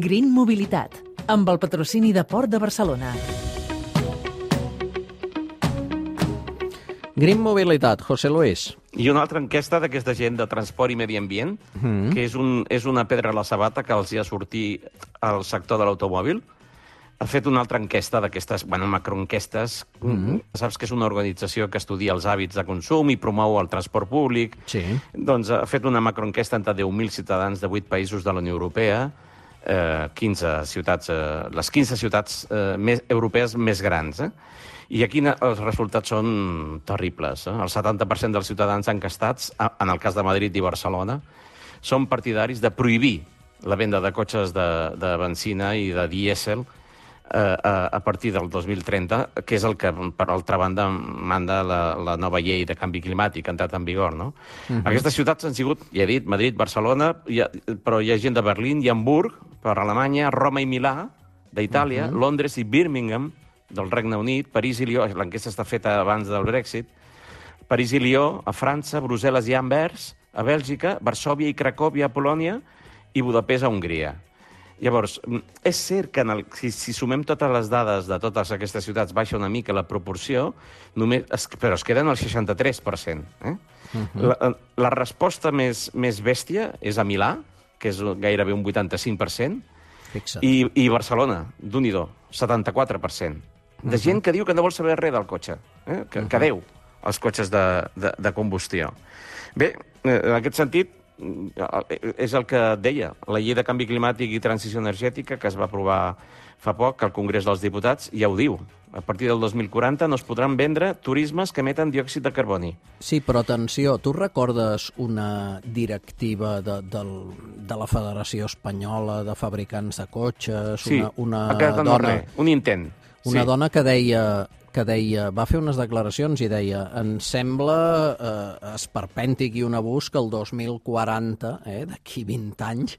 Green Mobilitat, amb el patrocini de Port de Barcelona. Green Mobilitat, José Luis. I una altra enquesta d'aquesta gent de transport i medi ambient, que és una pedra a la sabata que els hi ha sortit al sector de l'automòbil. Ha fet una altra enquesta d'aquestes, macroenquestes. Saps que és una organització que estudia els hàbits de consum i promou el transport públic. Sí. Doncs ha fet una macroenquesta entre 10.000 ciutadans de 8 països de la Unió Europea, 15 ciutats, les 15 ciutats europees més grans. I aquí els resultats són terribles. El 70% dels ciutadans enquestats, en el cas de Madrid i Barcelona, són partidaris de prohibir la venda de cotxes de benzina i de dièsel a partir del 2030, que és el que, per altra banda, manda la nova llei de canvi climàtic que ha entrat en vigor, no? Aquestes ciutats han sigut, ja he dit, Madrid, Barcelona, però hi ha gent de Berlín i Hamburg, per Alemanya, Roma i Milà, d'Itàlia, Londres i Birmingham, del Regne Unit, París i Lió, l'enquesta està feta abans del Brexit, París i Lió, a França, Brussel·les i Anvers, a Bèlgica, Varsòvia i Cracòvia, a Polònia, i Budapest, a Hongria. Llavors, és cert que si sumem totes les dades de totes aquestes ciutats baixa una mica la proporció, però es queden al 63%. La resposta més bèstia és a Milà, que és gairebé un 85%, i Barcelona, d'un-i-do, 74%. De gent que diu que no vol saber res del cotxe, que deu els cotxes de combustió. Bé, en aquest sentit, és el que deia, la llei de canvi climàtic i transició energètica, que es va aprovar fa poc al Congrés dels Diputats, ja ho diu. A partir del 2040 no es podran vendre turismes que emeten diòxid de carboni. Sí, però atenció, tu recordes una directiva de la Federació Espanyola de Fabricants de Cotxes? Sí, una ha quedat en dona, res, un intent. Una dona que deia, va fer unes declaracions i deia, em sembla esperpèntic i un abús que el 2040, d'aquí 20 anys,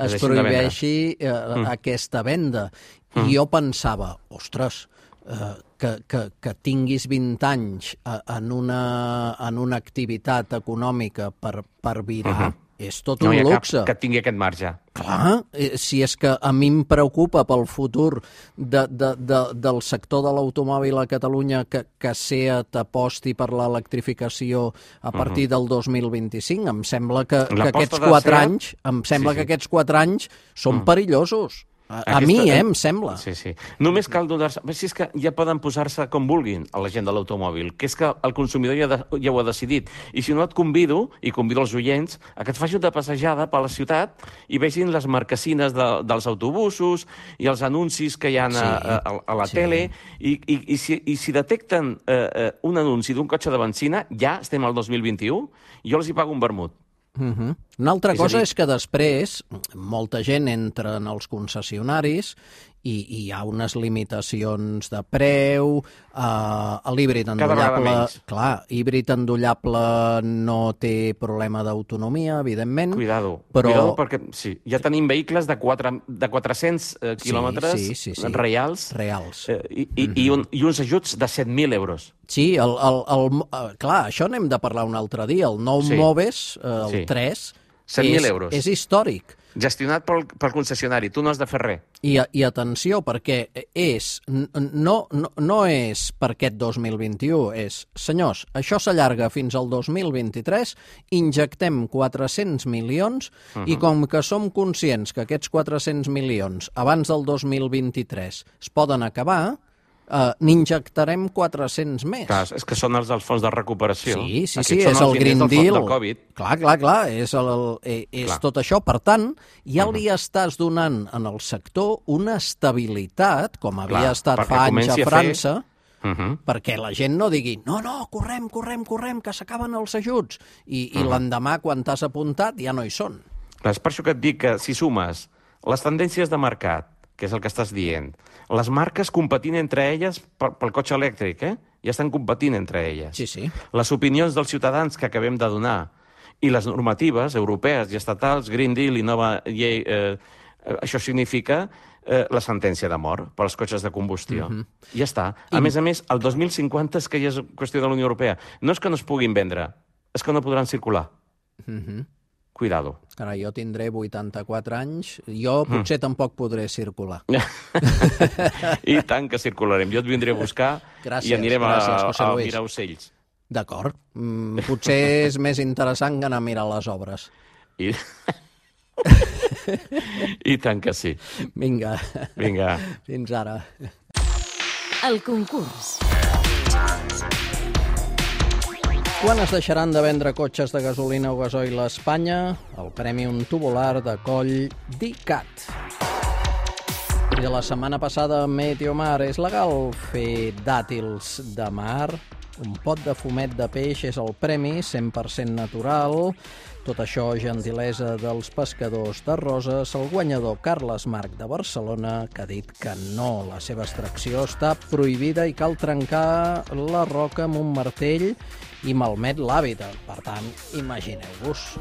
es prohibeixi aquesta venda. I jo pensava, ostres, que tinguis 20 anys en una activitat econòmica per virar, és tot un luxe. Que tingui aquest marge. Clar, si és que a mi em preocupa pel futur del sector de l'automòbil a Catalunya que SEAT aposti per l'electrificació a partir del 2025, em sembla que aquests 4 anys, que aquests 4 anys són perillosos. A mi, em sembla. Sí. Només cal donar-se... Si és que ja poden posar-se com vulguin a la gent de l'automòbil, que és que el consumidor ja ho ha decidit. I si no et convido, i convido els oients, a que et faci una passejada per la ciutat i vegin les marquesines dels autobusos i els anuncis que hi ha a la tele. I si detecten un anunci d'un cotxe de benzina, ja estem al 2021, jo els hi pago un vermut. Una altra cosa és que després molta gent entra en els concessionaris i hi ha unes limitacions de preu, l'híbrid endollable... Clar, híbrid endollable no té problema d'autonomia, evidentment. Cuidado, perquè ja tenim vehicles de 400 quilòmetres reals i uns ajuts de 7.000 euros. Sí, clar, això n'hem de parlar un altre dia. El nou Moves, el 3, 7.000 euros. És històric. Gestionat pel concessionari, tu no has de fer res. I atenció, perquè no és per aquest 2021, és, senyors, això s'allarga fins al 2023, injectem 400 milions i com que som conscients que aquests 400 milions abans del 2023 es poden acabar, n'injectarem 400 més. Clar, és que són els dels fons de recuperació. Sí, és el Green Deal. Clar, és tot això. Per tant, ja li estàs donant en el sector una estabilitat, com havia estat fa anys a França, perquè la gent no digui no, correm, que s'acaben els ajuts. I l'endemà, quan t'has apuntat, ja no hi són. És per això que et dic que si sumes les tendències de mercat, que és el que estàs dient, les marques competint entre elles pel cotxe elèctric, ja estan competint entre elles. Sí. Les opinions dels ciutadans que acabem de donar i les normatives europees i estatals, Green Deal i nova llei, això significa la sentència de mort per als cotxes de combustió. Ja està. A més, el 2050 és que ja és qüestió de la Unió Europea. No és que no es puguin vendre, és que no podran circular. cuidado. Ara, jo tindré 84 anys, jo potser tampoc podré circular. I tant que circularem. Jo et vindré a buscar i anirem a mirar ocells. D'acord. Potser és més interessant que anar a mirar les obres. I tant que sí. Vinga. Fins ara. El concurs. Quan es deixaran de vendre cotxes de gasolina o gasoil a Espanya? El Prèmium tubular de Coll d'ICAT. I de la setmana passada, Meteomar, és legal fer dàtils de mar? Un pot de fumet de peix és el premi, 100% natural. Tot això, gentilesa dels pescadors de Roses, el guanyador Carles Marc de Barcelona, que ha dit que no, la seva extracció està prohibida i cal trencar la roca amb un martell i malmet l'hàbitat. Per tant, imagineu-vos.